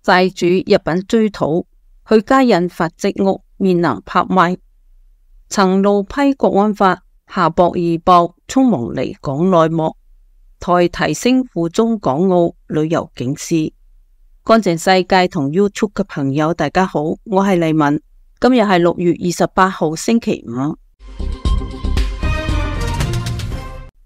債主入稟追討，許家印發跡屋面臨拍賣。曾怒批國安法，夏博義爆匆忙離港內幕，台提升赴中港澳旅遊警示。乾淨世界同 YouTube 嘅朋友大家好，我係麗文，今日係6月28號星期五。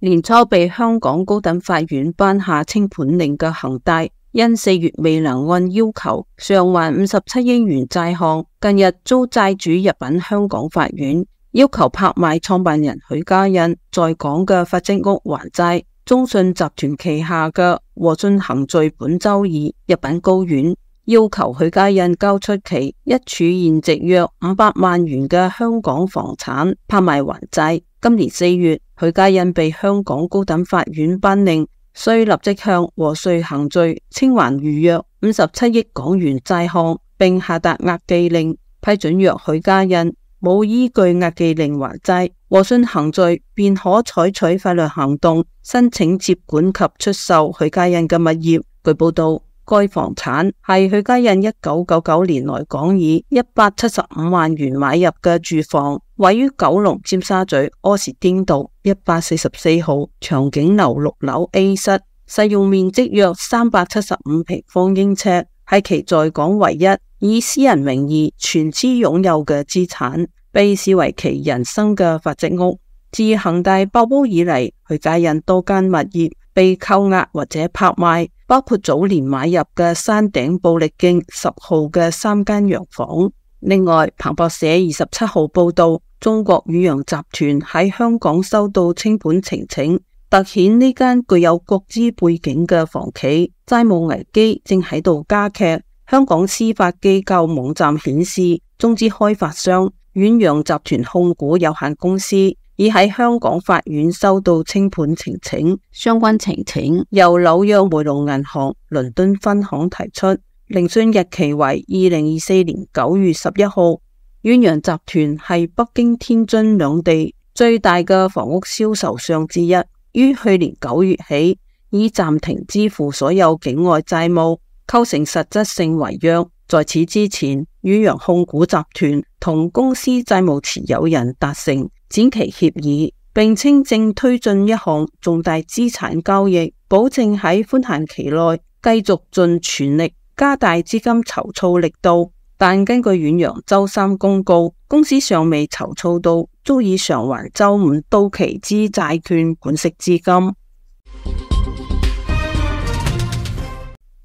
年初被香港高等法院頒下清盤令嘅恒大，因4月未能按要求償還57億元債項，近日遭債主入稟香港法院，要求拍賣創辦人許家印在港嘅發跡屋還債。中信集團旗下嘅和信恒聚本周二入稟高院，要求許家印交出其一處現值約500萬元嘅香港房產拍賣還債。今年4月，許家印被香港高等法院頒令，需立即向和信恒聚清還逾約57億港元債項，並下達押記令，批准若許家印冇依據押記令還債，和信恒聚便可採取法律行動，申請接管及出售許家印嘅物業。據報道，該房產係許家印1999年來港以175萬元買入嘅住房，位於九龍尖沙咀柯士甸道144號長景樓6樓 A 室，實用面積約375平方英尺，係其在港唯一以私人名義全資擁有嘅資產，被視為其人生嘅發跡屋。自恒大爆煲以嚟，許家印多間物業被扣押或者拍賣，包括早年買入嘅山頂布力徑10號嘅3間洋房。另外，彭博社27號報道，中國遠洋集團喺香港收到清盤呈請，凸顯呢間具有國資背景嘅房企債務危機正喺度加劇。香港司法機構網站顯示，中資開發商遠洋集團控股有限公司已喺香港法院收到清盤呈請，相關呈請由紐約梅隆銀行倫敦分行提出，聆訊日期為2024年9月11號。遠洋集團係北京、天津兩地最大嘅房屋銷售商之一，於去年9月起已暫停支付所有境外債務，構成實質性違約。在此之前，遠洋控股集團同公司債務持有人達成展期協議，並稱正推進一項重大資產交易，保證喺寬限期內繼續盡全力加大資金籌措力度。但根據遠洋周三公告，公司尚未籌措到足以償還周五到期之債券管息資金。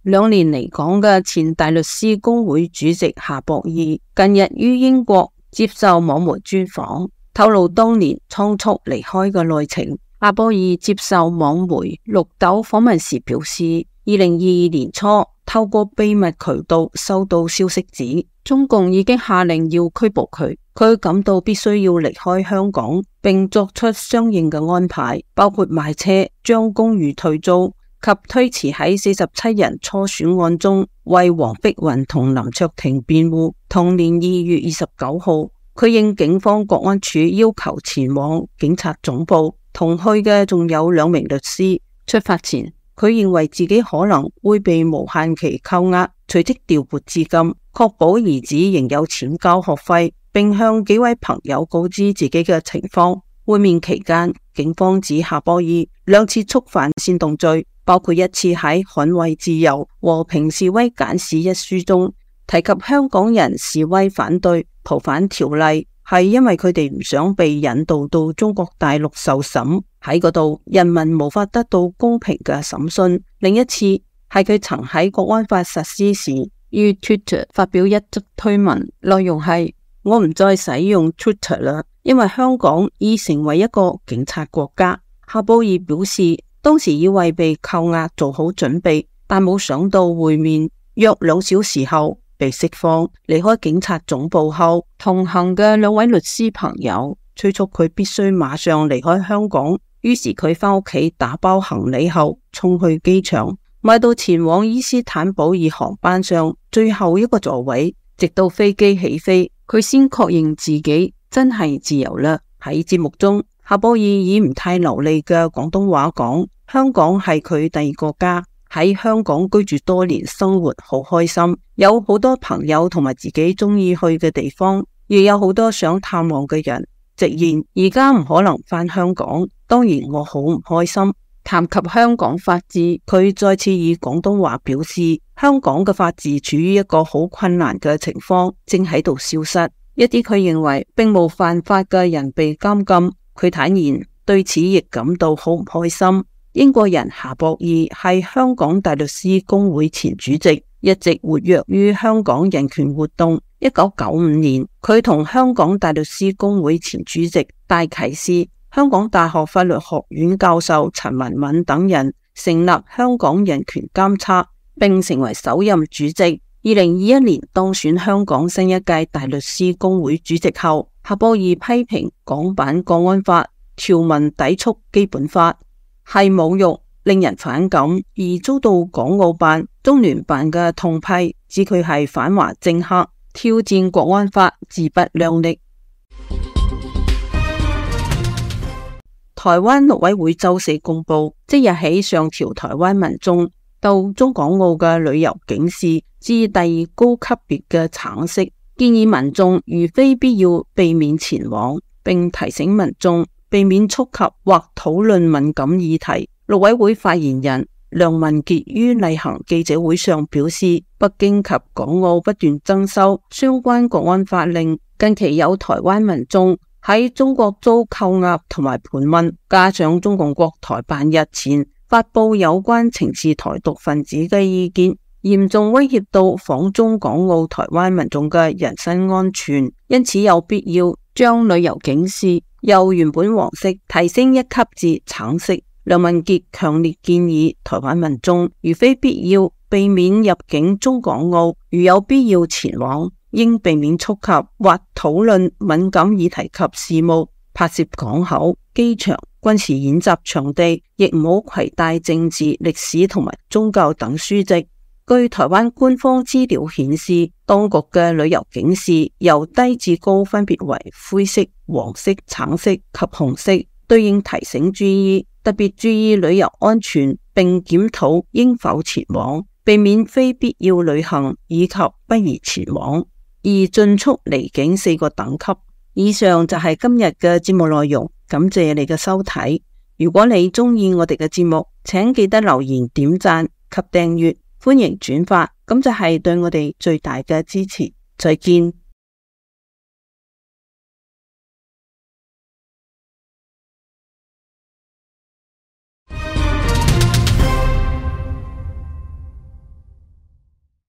2年離港嘅前大律師公會主席夏博義近日於英國接受網媒專訪，透露當年倉促離開嘅內情。夏博義接受網媒綠豆訪問時表示，2022年初透過秘密渠道收到消息指中共已經下令要拘捕佢，佢感到必須要離開香港，並作出相應嘅安排，包括賣車、將公寓退租及推遲喺47人初選案中為黃碧雲同林卓廷辯護。同年2月29號，佢應警方國安處要求前往警察總部，同去嘅仲有2名律師。出發前，佢認為自己可能會被無限期扣押，隨即調撥資金，確保兒子仍有錢交學費，並向幾位朋友告知自己嘅情況。會面期間，警方指夏博義2次觸犯煽動罪，包括1次喺《捍衛自由和平示威簡史》一書中提及香港人示威反對逃犯條例，係因為佢哋唔想被引渡到中國大陸受審，喺嗰度人民無法得到公平嘅審訊。另一次係佢曾喺國安法實施時於 Twitter 發表一則推文，內容係：我唔再使用 Twitter 啦，因為香港已成為一個警察國家。夏博義表示，當時以為被扣押做好準備，但冇想到會面約2小時後被釋放。離開警察總部後，同行嘅2位律師朋友催促佢必須馬上離開香港，於是佢返屋企打包行李後衝去機場，買到前往伊斯坦堡爾航班上最後一個座位，直到飛機起飛，佢先確認自己真係自由啦。喺節目中，夏博義以唔太流利嘅廣東話講，香港係佢第二個家。喺香港居住多年，生活好開心，有好多朋友同埋自己中意去嘅地方，亦有好多想探望嘅人。直言而家唔可能返香港，當然我好唔開心。談及香港法治，佢再次以廣東話表示，香港嘅法治處於一個好困難嘅情況，正喺度消失。一啲佢認為並無犯法嘅人被監禁，佢坦言對此亦感到好唔開心。英國人夏博義係香港大律師公會前主席，一直活躍於香港人權活動。1995年，佢同香港大律師公會前主席戴啟思、香港大學法律學院教授陳文敏等人成立香港人權監察，並成為首任主席。2021年當選香港新一屆大律師公會主席後，夏博義批評港版國安法條文抵觸基本法，係侮辱，令人反感，而遭到港澳辦、中聯辦嘅痛批，指佢係反華政客，挑戰國安法，自不量力。台灣陸委會周四公布，即日起上調台灣民眾到中港澳嘅旅遊警示至第二高級別嘅橙色，建議民眾如非必要避免前往，並提醒民眾避免觸及或討論敏感議題。陸委會發言人梁文傑於例行記者會上表示，北京及港澳不斷增修相關國安法令，近期有台灣民眾喺中國遭扣押同埋盤問，加上中共國台辦日前發布有關懲治台獨分子嘅意見，嚴重威脅到訪中港澳台灣民眾嘅人身安全，因此有必要將旅遊警示由原本黃色提升一級至橙色。梁文傑強烈建議台灣民眾如非必要避免入境中港澳，如有必要前往，應避免觸及或討論敏感議題及事務，拍攝港口、機場、軍事演習場地，亦唔好攜帶政治、歷史同埋宗教等書籍。據台灣官方資料顯示，當局嘅旅遊警示由低至高分別為灰色、黃色、橙色及紅色，對應提醒注意，特別注意旅遊安全，並檢討應否前往，避免非必要旅行以及不宜前往，而盡速離境4個等級。以上就係今日嘅節目內容，感謝你嘅收睇。如果你鍾意我哋嘅節目，請記得留言、點讚及訂閱，歡迎轉發，咁就係對我哋最大嘅支持。再見。